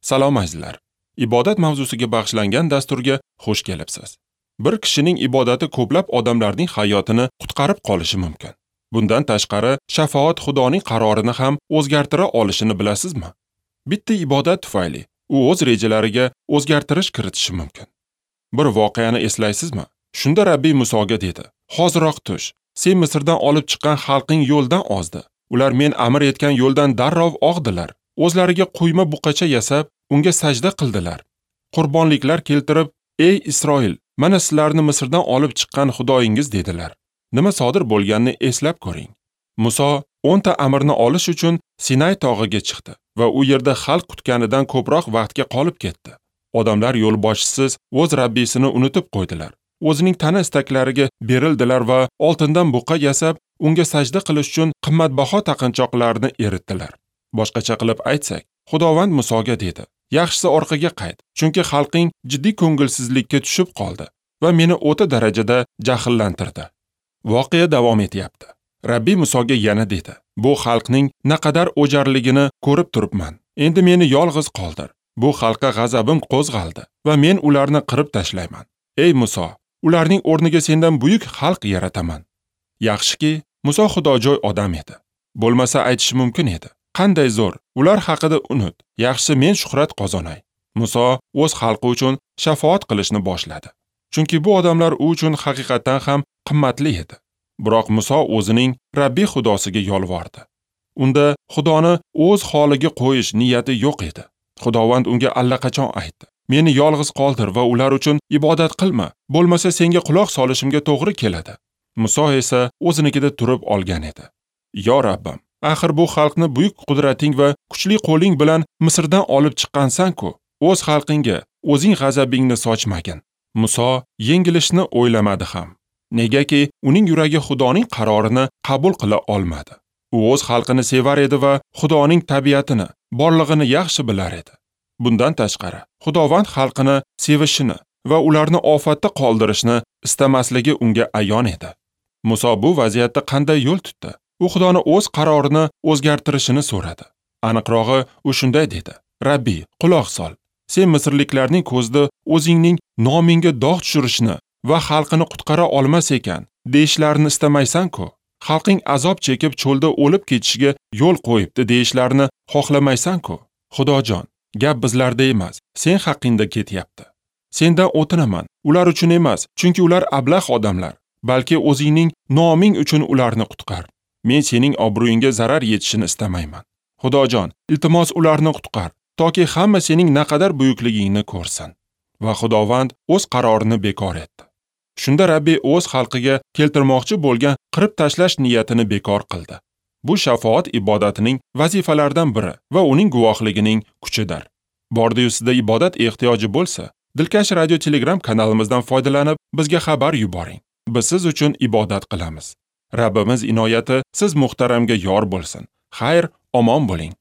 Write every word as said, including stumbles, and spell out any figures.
Salom azizlar. Ibodat mavzusiga bag'ishlangan dasturga xush kelibsiz. Bir kishining ibodati ko'plab odamlarning hayotini qutqarib qolishi mumkin. Bundan tashqari, shafoat Xudoning qarorini ham o'zgartira olishini bilasizmi? Bitta ibodat tufayli u o'z rejalariga o'zgartirish kiritishi mumkin. Bir voqeani eslaysizmi? Shunda Rabbiy Musoga dedi: "Hoziroq tush. Sen Misrdan olib chiqqan xalqing yo'ldan ozdi. Ular men amr etgan yo'ldan darrov og'dilar. O'zlariga quyma buqacha yasab, unga sajda qildilar. Qurbonliklar keltirib, ey Isroil, mana sizlarni Misrdan olib chiqqan Xudoyingiz dedilar." Nima sodir bo'lganini eslab ko'ring. Muso o'n ta amrni olish uchun Sinay tog'iga chiqdi va u yerda xalq kutganidan ko'proq vaqtga qolib ketdi. Odamlar yo'lboshchisiz o'z Rabbisini unutib qo'ydilar. O'zining tana istaklariga berildilar va oltindan buqa yasab, unga sajda qilish uchun qimmatbaho taqinchoqlarni eritdilar. Boshqacha qilib aytsak, Xudovand Musoga dedi: "Yaxshisi orqaga qayt, chunki xalqing jiddiy ko'ngilsizlikka tushib qoldi va meni o'ta darajada jahllantirdi." Voqea davom etyapti. Rabbiy Musoga yana dedi: "Bu xalqning naqadar o'jarligini ko'rib turibman. Endi meni yolg'iz qoldir. Bu xalqqa g'azabim qo'zg'aldi va men ularni qirib tashlayman. Ey Muso, ularning o'rniga sendan buyuk xalq yarataman." Yaxshiki, Muso xudojo'y odam edi. Bo'lmasa aytishi mumkin edi: "Qanday zo'r, ular haqida unut. Yaxshisi men shuhrat qozonay." Muso o'z xalqi uchun shafoat qilishni boshladi. Chunki bu odamlar u uchun haqiqatan ham qimmatli edi. Biroq Muso o'zining Rabbiy Xudosiga yolvordi. Unda Xudoni o'z holiga qo'yish niyati yo'q edi. Xudovand unga allaqachon aytdi: "Meni yolg'iz qoldir va ular uchun ibodat qilma, bo'lmasa senga quloq solishimga to'g'ri keladi." Muso esa o'zinikida turib olgan edi. "Yo Rabbim, axir bu xalqni buyuk qudrating va kuchli qo'ling bilan Misrdan olib chiqqansan-ku, o'z xalqingga o'zing g'azabingni sochmagin." Muso yengilishni o'ylamadi ham. Negaki uning yuragi Xudoning qarorini qabul qila olmadi. U o'z xalqini sevar edi va Xudoning tabiatini, borlig'ini yaxshi bilar edi. Bundan tashqari, Xudovand xalqini sevishini va ularni ofatda qoldirishni istamasligi unga ayon edi. Muso bu vaziyatda qanday yo'l tutdi? U Xudoni o'z qarorini o'zgartirishini so'radi. Aniqrog'i, u shunday dedi: "Rabbiy, quloq sol. Sen misrliklarning ko'zida o'zingning nomingga dog' tushirishni va xalqini qutqara olmas ekan deyishlarini istamaysan-ku. Xalqing azob chekib cho'lda o'lib ketishiga yo'l qo'yibdi deyishlarini xohlamaysan-ku. Xudojon, gap bizlarda emas, sen haqingda ketyapti. Sendan o'tinaman, ular uchun emas, chunki ular ablah odamlar, balki o'zingning noming uchun ularni qutqar. Men sening obro'yingga zarar yetishini istamayman. Xudojon, iltimos ularni qutqar, toki hamma sening naqadar buyukligingni ko'rsin." Va Xudovand o'z qarorini bekor etdi. Shunda Rabbiy o'z xalqiga keltirmoqchi bo'lgan qirib tashlash niyatini bekor qildi. Bu shafoat ibodatining vazifalaridan biri va uning guvohligining kuchidir. Bordi-yu sizda ibodat ehtiyoji bo'lsa, Dilkash Radio Telegram kanalimizdan foydalanib bizga xabar yuboring. Biz siz uchun ibodat qilamiz. Rabbimiz inoyati siz muhtaramga yor bo'lsin. Xayr, omon bo'ling.